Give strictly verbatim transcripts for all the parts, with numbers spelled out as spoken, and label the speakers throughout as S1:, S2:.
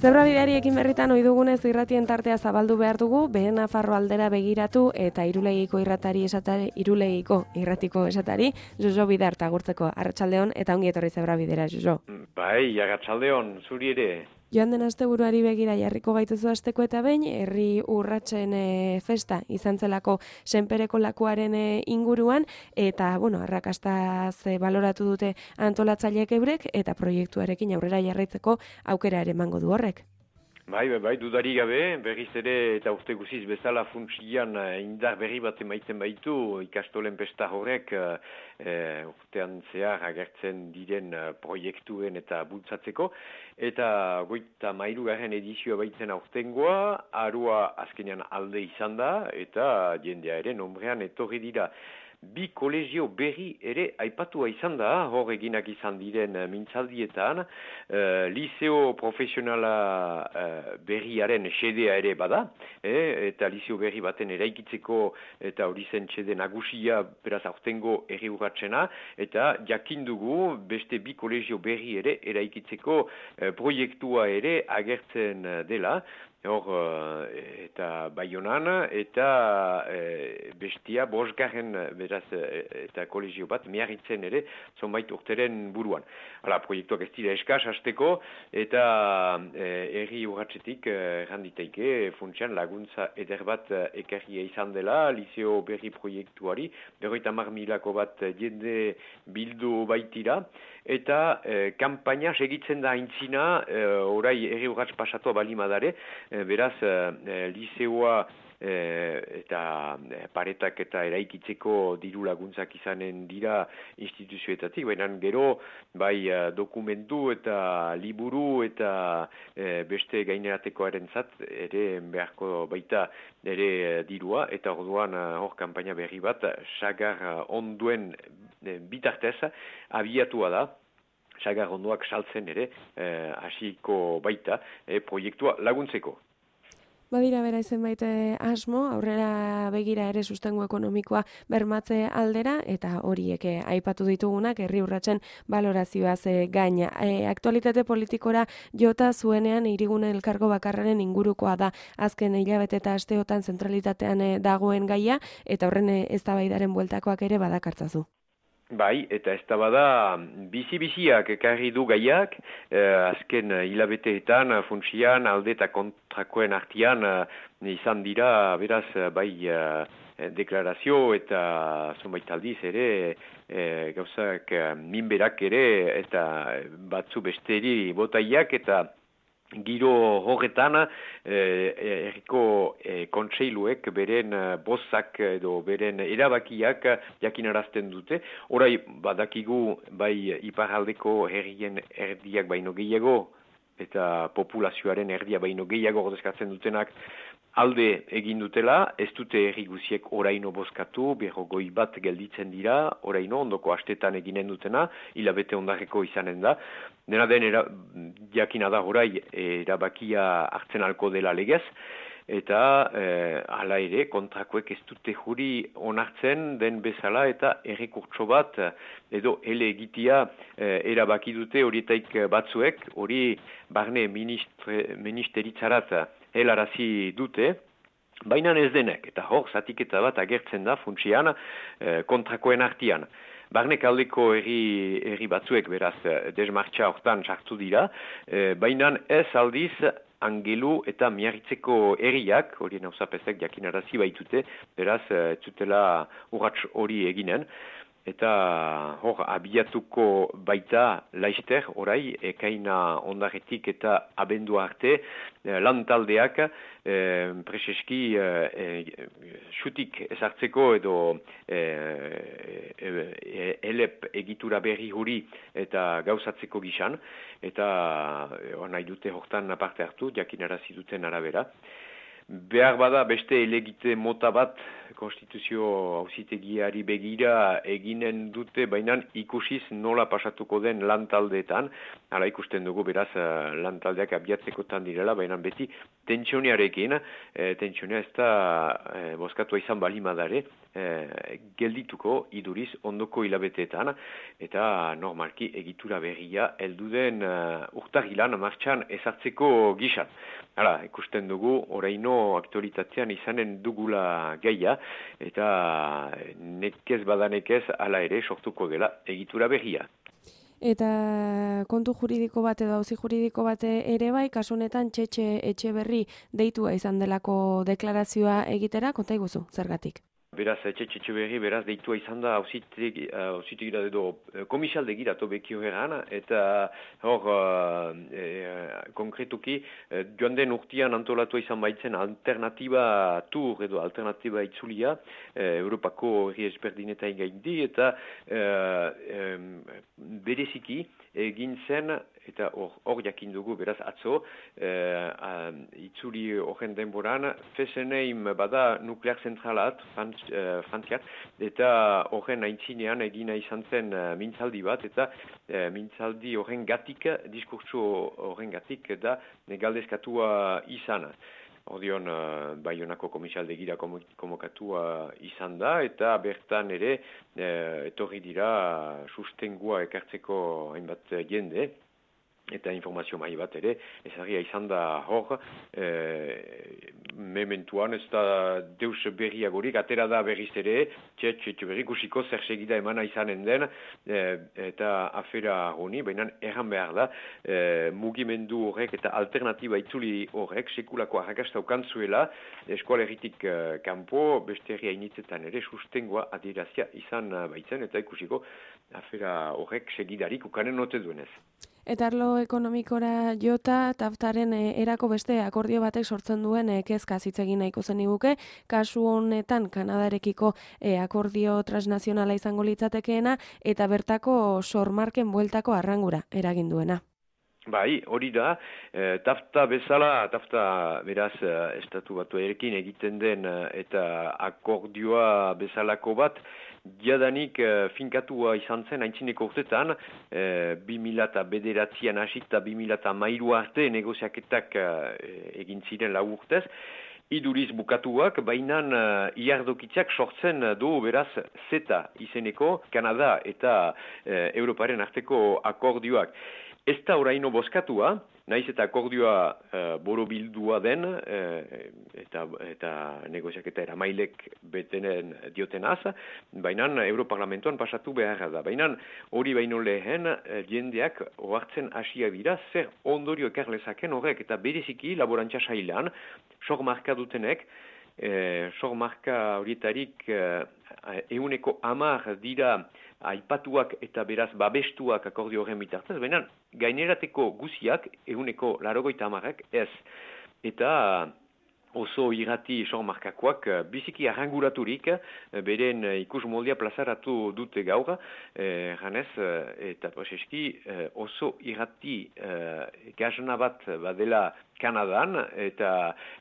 S1: Zebrabideari ekin berritan ohi dugunez irratien tartea zabaldu behar dugu, Behe Nafarro aldera begiratu eta Irulegiko irratari esatari, Irulegiko irratiko esatari, Jojo Bidarta agurtzeko. Arratsaldeon eta ongi etorri Zebrabidera, Jojo.
S2: Bai, arratsaldeon, zuri ere.
S1: Joan den asteburuari begira jarriko gaituzu asteko eta behin, herri urratsen e, festa izan zelako senpereko lakuaren e, inguruan, eta, bueno, arrakastaz e, baloratu dute antolatzaileek eurek, eta proiektuarekin aurrera jarraitzeko aukera ere emango du horrek.
S2: Bai, bai, bai, dudari gabe, berriz ere eta urte guziz bezala funtsian indar berri bat emaitzen baitu ikastolen pesta horrek e, urtean zehar agertzen diren proiektuen eta bultzatzeko. Eta goita mairugarren edizioa baitzen aurtengoa, arua azkenean alde izan da eta jendea ere nombrean etorri dira. Bi kolegio berri ere aipatua izan da, hor eginak izan diren mintzaldietan, uh, liceo profesionala uh, berriaren xedea ere bada, eh, eta liceo berri baten eraikitzeko eta hori zen xede nagusia beraz aurtengo herri urratsena, eta jakindugu beste bi kolegio berri ere eraikitzeko uh, proiektua ere agertzen dela. Hor, eta Baionan, eta e, bestia bosgarren beraz eta kolegio bat miarritzen ere zonbait urteren buruan. Hala, proiektuak ez dira eskaz hasteko, eta herri urratsetik erranditeike funtsian laguntza eder bat ekarria izan dela, liceo berri proiektuari, berroita hamar milako bat jende bildu baitira, eta e, kampaina segitzen da aintzina, e, orai herri urrats pasatua balimadare, beraz, e, liceoa e, eta e, paretak eta eraikitzeko diru laguntzak izanen dira instituzioetatik, baina gero bai dokumentu eta liburu eta e, beste gaineratekoaren zat ere beharko baita ere dirua, eta orduan hor kanpaina berri bat sagar onduen e, bitartez abiatua da. Sagar ondoak saltzen ere hasiko eh, baita eh, proiektua laguntzeko.
S1: Badira bera izenbait asmo, aurrera begira ere sustengo ekonomikoa bermatze aldera, eta horiek aipatu ditugunak herri urratsen balorazioaz gaina. E, aktualitate politikora jota zuenean hirigune elkargo bakarraren ingurukoa da azken hilabete eta asteotan zentralitatean dagoen gaia, eta horren eztabaidaren bueltakoak ere badakartzazu.
S2: Bai, eta ez da bada bizi-biziak ekarri du gaiak, eh, azken hilabeteetan funtsian alde eta kontrakoen artian eh, izan dira, beraz, bai eh, deklarazio eta zonbait aldiz ere eh, gauzak eh, minberak ere eta batzu besteri botaiak eta giro horretan herriko eh, kontseiluek beren bozak edo beren erabakiak jakinarazten dute. Orai badakigu bai iparraldeko herrien erdiak baino gehiago eta populazioaren erdia baino gehiago ordezkatzen dutenak alde egin dutela, ez dute herri guziek oraino bozkatu, berrogoi bat gelditzen dira, oraino ondoko astetan eginen dutena, hilabete ondarreko izanen da. Dena den era, jakina da orai erabakia hartzen alko dela legez, eta eh, hala ere kontrakoek ez dute juri onartzen den bezala eta errekurtso bat edo ele egitea eh, erabaki dute horietaik batzuek, hori barne ministre, ministeritzarat helarazi dute, baina ez denek, eta hor zatiketa bat agertzen da funtsian eh, kontrakoen artian. Barnek aldeko herri, herri batzuek beraz desmartxa hortan sartu dira, eh, baina ez aldiz Angelu eta Miarritzeko herriak, horien hauzapezek jakinarazi baitute, beraz ez zutela urrats hori eginen. Eta hor abiatuko baita laister orai ekaina ondaretik eta abendua arte lantaldeak eh, preseski eh, xutik ezartzeko edo eh, eh, elep egitura berri huri eta gauzatzeko gizan, eta eh, nahi dute hortan parte hartu jakinarazi duten arabera. behar bada beste elegite mota bat konstituzio auzitegiari begira eginen dute, baina ikusiz nola pasatuko den lantaldeetan. Hala ikusten dugu beraz lantaldeak abiatzekotan direla, baina beti tentsioniarekin, e, tentsionia ez da e, bozkatua izan balimadare, e, geldituko iduriz ondoko hilabeteetan, eta normalki egitura berria helduden uh, urtagilan martxan ezartzeko gizat. Hala, ikusten dugu, oraino aktualitatean izanen dugula gaia, eta nekez badanekez hala ere sortuko dela egitura berria.
S1: Eta kontu juridiko bat edo auzi juridiko bat ere bai, kasu honetan Txetxe Etxeberri deitua izan delako deklarazioa egitera, konta iguzu, zergatik?
S2: Beraz, Txetxe Etxeberri, beraz, deitua izan da hausitegira edo komisaldegira tobekio eran, eta hor, e, konkretuki, joan den urtean antolatua izan baitzen alternatiba tur edo alternatiba itzulia, e, Europako herri ezberdinetain gaindi, eta e, e, bereziki egin zen, eta hor jakin dugu, beraz, atzo, e, a, itzuli horren denboran, Fessenheim bada nuklear zentralat, Frantz, e, Frantziak, eta horren aintzinean egina izan zen e, mintzaldi bat, eta e, mintzaldi horren gatik, diskurtso horren gatik, da galdezkatua izan. Ordion, uh, Baionako komisaldegira komokatua izan da, eta bertan ere uh, etorri dira sustengua ekartzeko hainbat jende, eta informazio mai bat ere, ezagia izan da hor, e, mementuan ez da deus berriagorik, atera da berriz ere, Txetxe Etxeberri kusiko zer segida emana izanen den, e, eta afera honi, baina erran behar da, e, mugimendu horrek eta alternatiba itzuli horrek, sekulako arrakasta ukantzuela, eskualeritik e, kanpo, beste herria initzetan ere, sustengoa adierazia izan baitzen, eta ikusiko afera horrek segidarik ukanen note duenez.
S1: Eta arlo ekonomikora jota, taftaren e, erako beste akordio batek sortzen duen e, kezka hitz egin nahiko zeniguke, kasu honetan Kanadarekiko e, akordio transnazionala izango litzatekeena, eta bertako sormarken bueltako arrangura eragin duena.
S2: Bai, hori da, e, tafta bezala, tafta beraz estatu batuarekin egiten den eta akordioa bezalako bat, jadanik e, finkatua izan zen aintzineko urtetan, e, bi mila bederatzian hasita bi mila hamairu arte negoziaketak e, egin ziren lau urtez, iduriz bukatuak, baina uh, iardokitzak sortzen du beraz zeta izeneko Kanada eta uh, Europaren arteko akordioak. Ez da oraino bozkatua, naiz eta akordioa uh, borobildua den, uh, eta, eta negoziaketa eramailek betenen diotenaz, baina Europarlamentoan pasatu behar da. Baina hori baino lehen uh, jendeak ohartzen hasia dira, zer ondorio ekarlezaken horrek, eta bereziki laborantza sailan, sormarka dutenek, eh, sormarka horietarik eh, euneko amar dira aipatuak eta beraz babestuak akordio horren bitartez, baina gainerateko guziak euneko larogoita amarrak ez. Eta oso irrati sormarkakoak biziki arranguraturik, beren ikus moldia plazaratu dute gaur, eh, janez, eta preseski oso irrati eh, gazna bat badela Kanadan, eta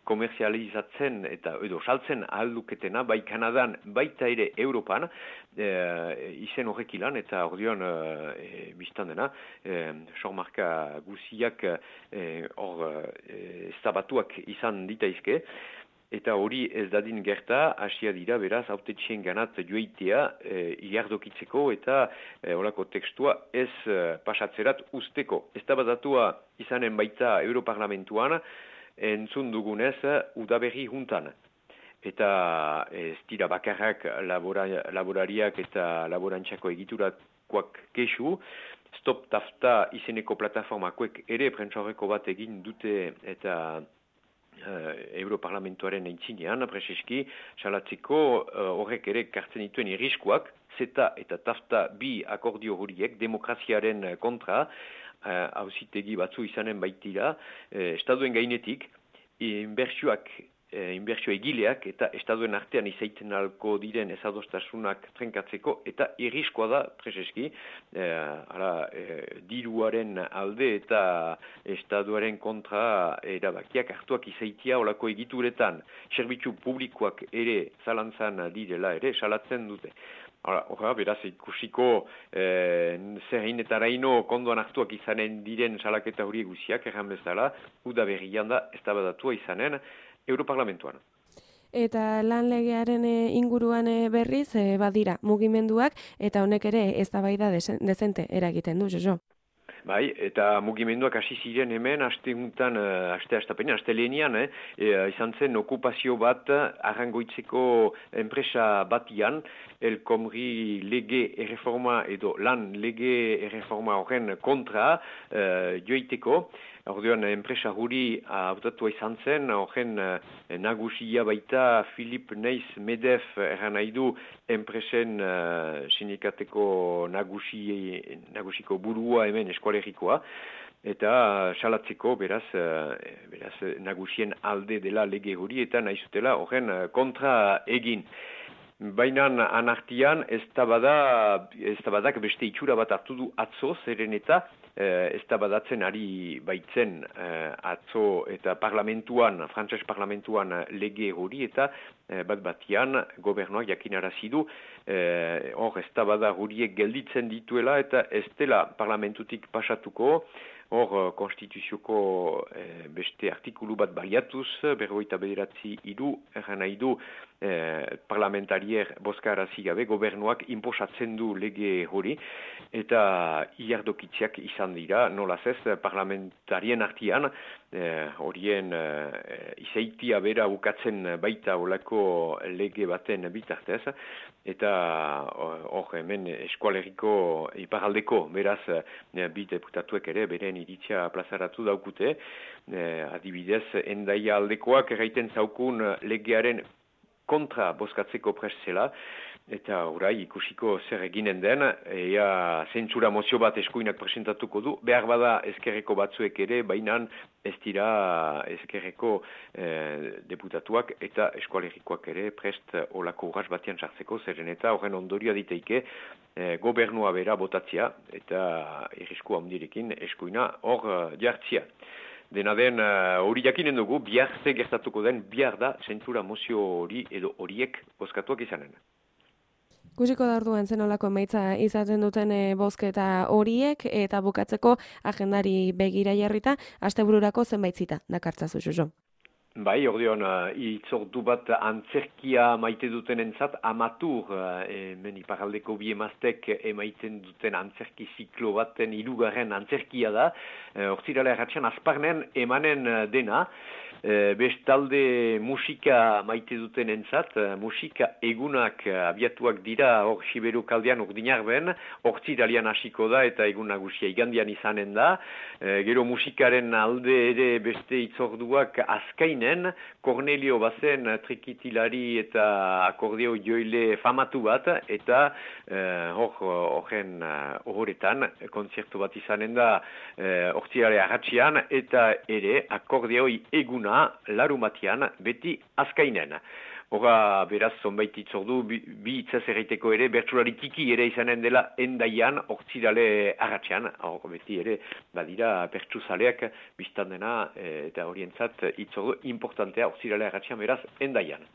S2: komerzializatzen eta edo saltzen ahalduketena, bai Kanadan, baita ere Europan, e, izen horrek ilan, eta ordeon e, biztan dena, e, sormarka guziak hor e, eztabatuak izan ditaizke, eta hori ez dadin gerta, hasia dira beraz, hautetxien ganat joeitea e, iardokitzeko eta e, olako tekstua ez e, pasatzerat usteko. Ez da batatua izanen baita Europarlamentuan, entzun dugunez udaberri juntan. Eta ez dira bakarrak labora, laborariak eta laborantxako egiturakoak kesu, Stop Tafta izeneko plataformakoek ere prentsaurreko bat egin dute eta Uh, Europarlamentuaren eitzinean, preseski, salatzeko horrek uh, ere kartzen dituen irriskuak, zeta eta tafta bi akordio horiek, demokraziaren kontra, hauzitegi uh, batzu izanen baitira, uh, estaduen gainetik, inbertsioak e, inbertsio egileak eta estaduen artean izaiten alko diren ezadostasunak trenkatzeko eta irriskoa da preseski e, ara, e, diruaren alde eta estaduaren kontra erabakiak hartuak izaitia olako egituretan zerbitzu publikoak ere zalantzan direla ere salatzen dute. Hora, beraz, ikusiko eh, zerrein eta araino kondoan hartuak izanen diren salaketa hori guziak, erran bezala, uda berrian da eztabadatua izanen Europarlamentuan.
S1: Eta lan legearen inguruan berriz badira mugimenduak eta honek ere eztabaida dezente eragiten du, Jojo.
S2: Bai, eta mugimenduak hasi ziren hemen, aste juntan, aste astapenean, aste lehenian, eh, e, izan zen okupazio bat arrangoitzeko enpresa batian, elkomri lege erreforma edo lan lege erreforma horren kontra eh, joiteko. Orduan, enpresa huri hautatua izan zen, horren eh, nagusia baita Philip Neiss Medef erran nahi du enpresen eh, sindikateko nagusi, nagusiko burua hemen eskualerikoa, eta salatzeko beraz, eh, beraz nagusien alde dela lege huri eta nahi zutela horren kontra egin. Baina anartian ez tabadak beste itxura bat hartu du atzo, zeren eta ez tabadatzen ari baitzen atzo eta parlamentuan, frantses parlamentuan lege hori eta bat batian gobernuak jakinarazi du hor ez tabada horiek gelditzen dituela eta ez dela parlamentutik pasatuko. Hor, konstituzioko eh, beste artikulu bat baliatuz, berrogeita bederatzi hiru, erran nahi du eh, parlamentarier bozkarazi gabe, gobernuak inposatzen du lege hori, eta iardokitziak izan dira, nolaz ez, parlamentarien artian, eh, horien eh, izaitia bera bukatzen baita olako lege baten bitartez, eta hor hemen eskualeriko iparaldeko, beraz, eh, bi deputatuek ere, beren iritzia plazaratu daukute, eh, adibidez, endaia aldekoak erraiten zaukun legearen kontra bozkatzeko prest zela, eta orai ikusiko zer eginen den, ea zentsura mozio bat eskuinak presentatuko du, behar bada ezkerreko batzuek ere, baina ez dira ezkerreko eh, deputatuak eta eskualerikoak ere prest olako urras batian sartzeko, zeren eta horren ondorioa diteike eh, gobernua bera botatzia eta irrisku handirekin eskuina hor uh, jartzia. Dena den, hori uh, jakinen dugu, bihar ze gertatuko den, bihar da zentsura mozio hori edo horiek bozkatuak izanen.
S1: Kusiko da orduan zenolako emaitza izaten duten e, bozketa horiek eta bukatzeko agendari begira jarrita, astebururako zenbait zita dakartzazu, Jojo.
S2: Bai, ordeon, uh, itzordu bat antzerkia maite duten entzat, amatur, uh, hemen iparaldeko bi emaztek emaiten duten antzerki ziklo baten hirugarren antzerkia da, hortzirala uh, erratxan azparnen emanen uh, dena, uh, bestalde musika maite duten entzat, uh, musika egunak uh, abiatuak dira hor Siberu kaldean urdinarben, hortziralian hasiko da eta egun nagusia igandian izanen da, uh, gero musikaren alde ere beste itzorduak azkain Cornelio bazen trikitilari eta akordeo joile famatu bat, eta horren uh, horretan kontzertu bat izanen da hortziare uh, arratxian, eta ere akordeoi eguna larumatian beti azkainen. Hora, beraz, zonbait itzordu, bi, bi itzaz erraiteko ere, bertsulari tiki ere izanen dela endaian, hortzirale arratxean, hor beti ere, badira, bertsuzaleak biztan dena, e, eta horientzat itzordu importantea hortzirale arratxean, beraz, endaian.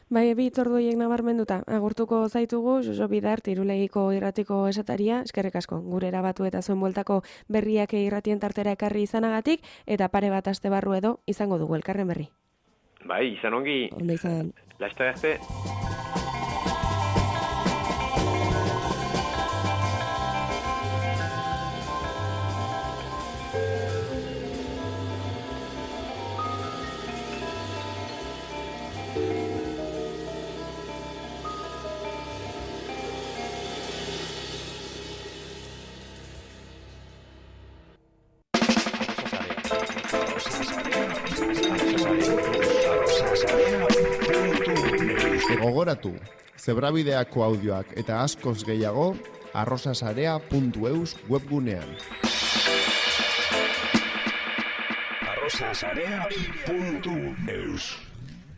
S1: Bai, bi itzordu horiek nabarmenduta, agurtuko zaitugu, Jojo Bidart, Irulegiko irratiko esataria, eskerrik asko, gure erabatu eta zuen bueltako berriak irratien tartera ekarri izanagatik, eta pare bat aste barru edo izango dugu elkarren berri.
S2: Bai, izan ongi.
S1: Ondo izan.
S2: Laster arte.
S3: Gogoratu, zebrabideako audioak eta askoz gehiago arrosasarea puntu eus webgunean. arrosasarea puntu eus